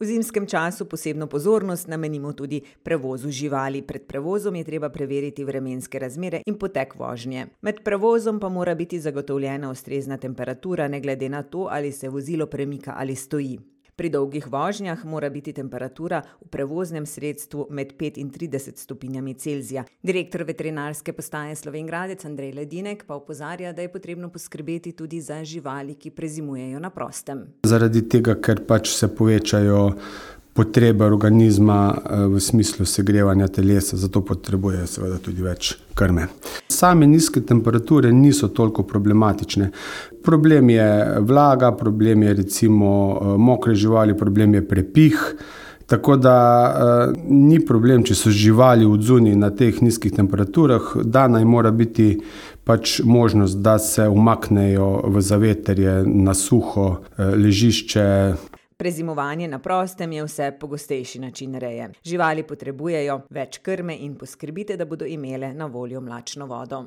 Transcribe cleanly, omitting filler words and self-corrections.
V zimskem času posebno pozornost namenimo tudi prevozu živali. Pred prevozom je treba preveriti vremenske razmere in potek vožnje. Med prevozom pa mora biti zagotovljena ustrezna temperatura, ne glede na to, ali se vozilo premika ali stoji. Pri dolgih vožnjah mora biti temperatura v prevoznem sredstvu med 5 in 30 stopinjami Celzija. Direktor veterinarske postaje Slovenj Gradec Andrej Ledinek pa opozarja, da je potrebno poskrbeti tudi za živali, ki prezimujejo na prostem. Zaradi tega, ker se povečajo potrebe organizma v smislu segrevanja telesa, zato potrebujejo seveda tudi več krme. Same nizke temperature niso toliko problematične. Problem je vlaga, problem je recimo mokre živali, problem je prepih, tako da ni problem, če so živali odzunaj na teh nizkih temperaturah, dana jim mora biti možnost, da se umaknejo v zavetrje, na suho ležišče. Prezimovanje na prostem je vse pogostejši način reje. Živali potrebujejo več krme in poskrbite, da bodo imele na voljo mlačno vodo.